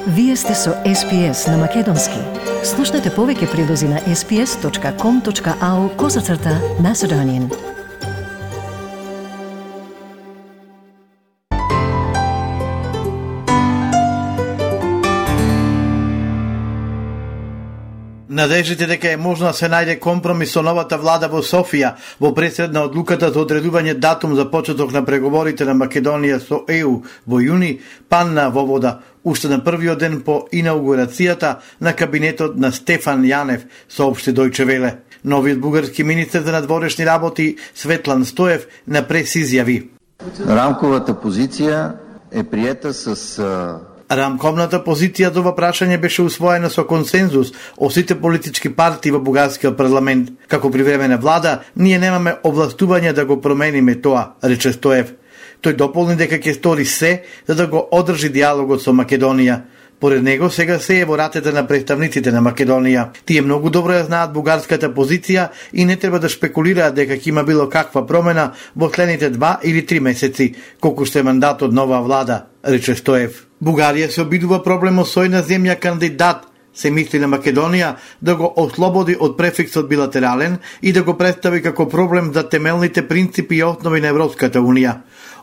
Вие сте со SPS на Македонски. Слушнете повеќе прилози на sps.com.au/Macedonian. Надежите дека е можно да се најде компромис со новата влада во Софија во пресед на одлуката за одредување датум за почеток на преговорите на Македонија со ЕУ во јуни панна во вода уште на првиот ден по инаугурацијата на кабинетот на Стефан Јанев, соопшти Дојче Веле. Новиот бугарски министер за надворешни работи Светлан Стоев на прес изјави: Рамковата позиција е приета с Рамковната позиција за ова прашање беше усвоена со консензус од сите политички партии во бугарскиот парламент. Како привремена влада, ние немаме овластување да го промениме тоа, рече Стоев. Тој дополни дека ќе стори се за да го одржи диалогот со Македонија. Поред него сега се е во ратите на представниците на Македонија. Тие многу добро ја знаат бугарската позиција и не треба да шпекулираат дека ќе има било каква промена во следните 2 или 3 месеци, колку што е мандатот на оваа влада, рече Стоев. Бугарија се обидува проблемот со една земја кандидат, се мисли на Македонија, да го ослободи од префиксот билатерален и да го представи како проблем за темелните принципи и основи на Европската Унија.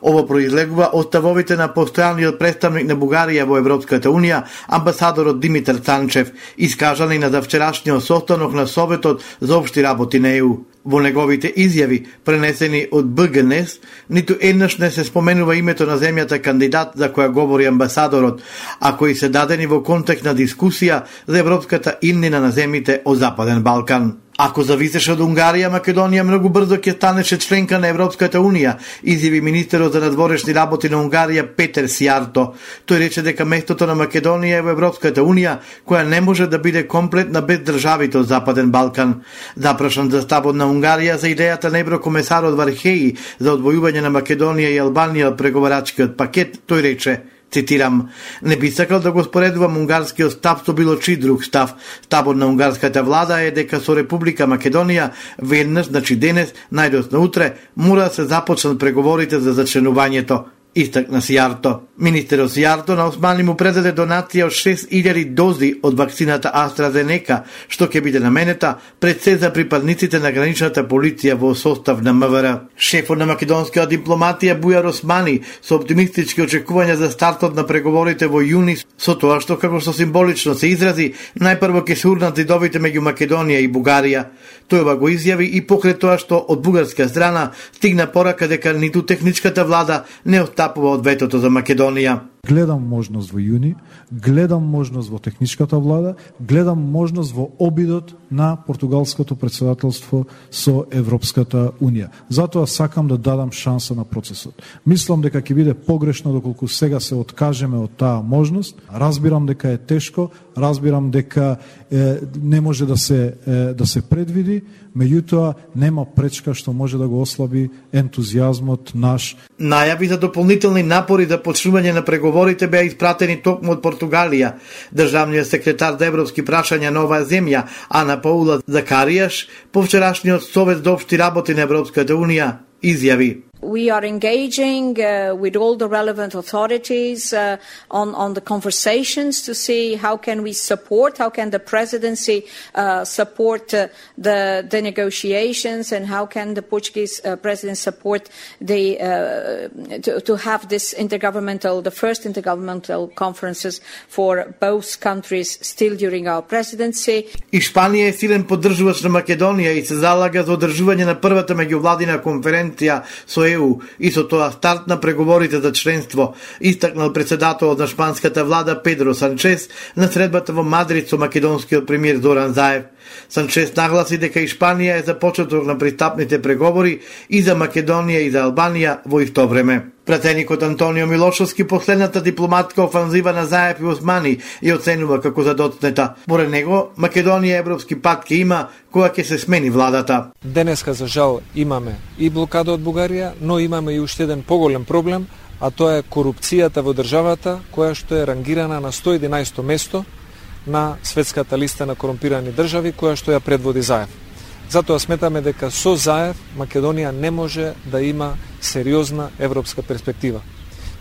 Ова произлегува од ставовите на постојаниот представник на Бугарија во Европската Унија, амбасадорот Димитар Цанчев, искажани на завчерашниот состанок на Советот за општи работи на ЕУ. Во неговите изјави, пренесени од БГНС, ниту еднаш не се споменува името на земјата кандидат за која говори амбасадорот, а кои се дадени во контекст на дискусија за европската иднина на земјите од Западен Балкан. Ако зависеше од Унгарија, Македонија многу брзо ќе станеше членка на Европската Унија, изјави министерот за надворешни работи на Унгарија Петер Сијарто. Тој рече дека местото на Македонија е во Европската Унија, која не може да биде комплетна без државите од Западен Балкан. Запрашан за ставот на Унгарија за идејата на еврокомесарот Вархеи за одвојување на Македонија и Албанија од преговарачкиот пакет, тој рече, цитирам: не би сакал да го споредувам унгарскиот став со било чий друг став. Ставот на унгарската влада е дека со Република Македонија веднаш, значи денес, најдоцна утре, мора да се започнат преговорите за зачленувањето, истакна Сијарто. Министерот Сијарто на Османи му предаде донација од 6000 дози од вакцината AstraZeneca, што ќе биде наменета пред се за припадниците на граничната полиција во состав на МВР. Шефот на македонскиот дипломатија Бујар Османи со оптимистички очекувања за стартот на преговорите во јуни, со тоа што, како што символично се изрази, најпрво ќе се урнат зидовите меѓу Македонија и Бугарија. Тој ова го изјави и покрај тоа што од бугарска страна стигна порака дека ниту техничката влада не отстапува од ветото за Македонија. Гледам можност во јуни, гледам можност во техничката влада, гледам можност во обидот на португалското председателство со Европската Унија. Затоа сакам да дадам шанса на процесот. Мислам дека ќе биде погрешно доколку сега се откажеме од таа можност. Разбирам дека е тешко, разбирам дека не може да се предвиди, меѓутоа нема пречка што може да го ослаби ентузијазмот наш. Најави за дополнителни напори за почнување на преговорите беа испратени токму од Португалија. Државниот секретар за европски прашања на оваа земја, Ана Паула Закаријаш, по вчерашниот Совет за општи работи на Европската Унија, изјави: We are engaging with all the relevant authorities on the conversations to see how can we support, how can the presidency support the negotiations, and how can the Portuguese president support to have this the first intergovernmental conferences for both countries still during our presidency. Испанија е силен поддржувач на Македонија и се залага за одржување на првата меѓувладина конференција со ЕУ и со тоа старт на преговорите за членство, истакнал председателот на шпанската влада Педро Санчес на средбата во Мадрид со македонскиот премиер Зоран Заев. Санчес нагласи дека Испанија е за почеток на пристапните преговори и за Македонија и за Албанија во исто време. Пратеникот Антонио Милошовски последната дипломатска офанзива на Заев и Османи ја оценува како задоцнета. Поред него, Македонија европски пат ќе има кога ќе се смени владата. Денеска, за жал, имаме и блокада од Бугарија, но имаме и уште еден поголем проблем, а тоа е корупцијата во државата, која што е рангирана на 111 место на светската листа на корумпирани држави, која што ја предводи Заев. Затоа сметаме дека со Заев Македонија не може да има сериозна европска перспектива.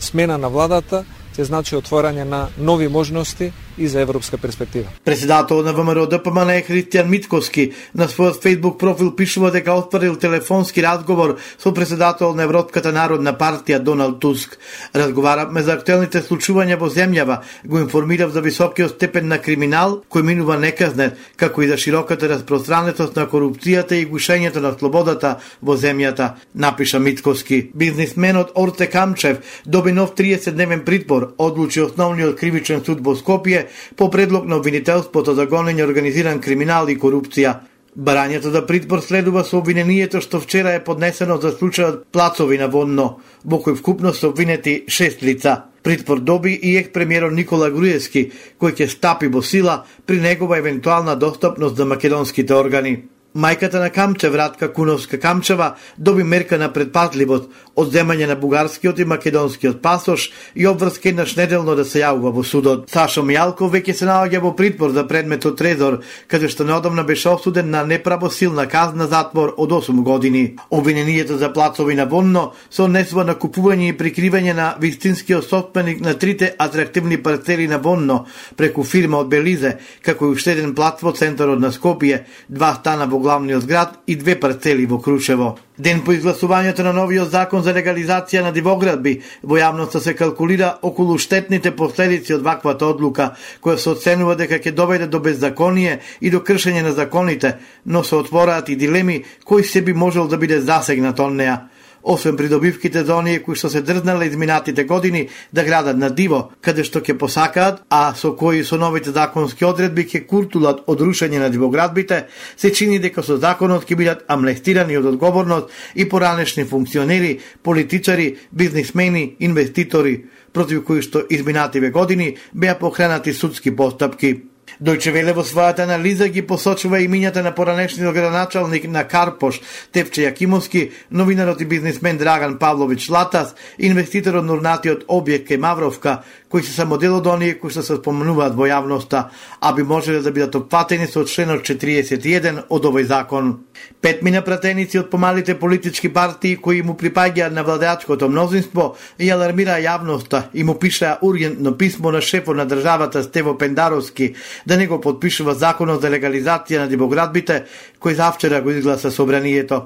Смена на владата ќе значи отворање на нови можности и за европска перспектива. Председател на ВМРО ДПМН Христијан Митковски на својот Facebook профил пишува дека отворил телефонски разговор со председател на Европската народна партија Доналд Туск. Разговаравме за актуелните случувања во земјава, го информирав за високиот степен на криминал кој минува неказнет, како и за широката распространетост на корупцијата и гушењето на слободата во земјата, напиша Митковски. Бизнисменот Орте Камчев доби нов 30-дневен притвор, одлучи основниот кривичен суд во Скопје по предлог на обвинителството за гонење организиран криминал и корупција. Барањето за притвор следува со обвинението што вчера е поднесено за случајот Плацови на Вонно, во кој вкупно се обвинети 6 лица. Притвор доби и екс-премиерот Никола Груевски, кој ќе стапи во сила при негова евентуална достапност за македонските органи. Мајката на Камчев, Радка Куновска Камчева, доби мерка на предпазливост, одземање на бугарскиот и македонскиот пасош и обврска еднаш неделно да се јавува во судот. Сашо Мијалков веќе се наоѓа во притвор за предметот Трезор, каде што неодамна беше осуден на неправосилна казна затвор од 8 години. Обвинението за Плацови на Вонно се однесува на купување и прикривање на вистинскиот собственик на трите атрактивни парцели на Вонно преку фирма од Белизе, како и уште еден плац во центарот на Скопје, 2 стана во главниот град и 2 парцели во Крушево. Ден по изгласувањето на новиот закон за легализација на дивоградби, во јавноста се калкулира околу штетните последици од ваквата одлука, која се оценува дека ќе доведе до беззаконие и до кршење на законите, но се отвораат и дилеми кој се би можел да биде засегнат од неа. Освен придобивките за оние кои што се дрзнале изминатите години да градат на диво, каде што ќе посакаат, а со кои со новите законски одредби ќе куртулат од рушење на дивоградбите, се чини дека со законот ќе бидат амнестирани од одговорност и поранешни функционери, политичари, бизнисмени, инвеститори, против кои што изминативе години беа покренати судски постапки. Дојче Веле во својата анализа ги посочува имињата на поранешниот градоначалник на Карпош, Тевче Јакимовски, новинарот и бизнисмен Драган Павлович Латас, инвеститорот на урнатиот објект кај Мавровка, кои се само дел од оние кои што се спомнуваат во јавноста, а би можеле да бидат опфатени со членот 41 од овој закон. 5 мина пратеници од помалите политички партии кои му припаѓаат на владеачкото мнозинство и алармираа јавноста и му пишаа ургентно писмо на шефот на државата Стево Пендаровски да не го подпишува законот за легализација на дивоградбите, кој завчера го изгласа собранието.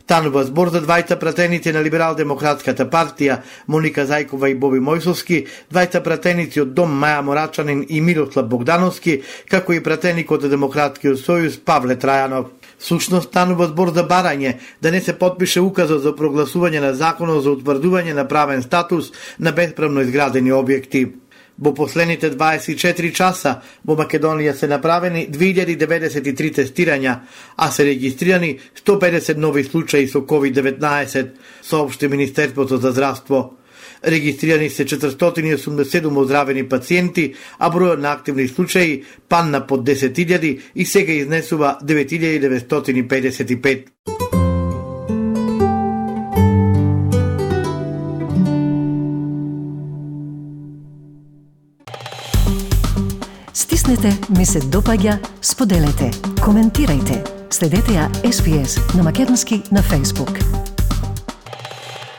Станува збор за двајца пратеници на Либерал-демократската партија, Моника Зајкова и Боби Мојсовски, двајца пратеници од Дом Маја Морачанин и Мирослав Богдановски, како и пратеникот од Демократскиот сојуз Павле Трајанов. Сушност станува збор за барање да не се подпише указот за прогласување на законот за утврдување на правен статус на бесправно изградени објекти. Во последните 24 часа во Македонија се направени 2093 тестирања, а се регистрирани 150 нови случаи со COVID-19, соопшти Министерството за здравство. Регистрирани се 487 оздравени пациенти, а бројот на активни случаи падна под 10.000 и сега изнесува 9.955. Стиснете, ми се допаѓа, споделете, коментирајте. Следете ја SPS на Македонски на Facebook.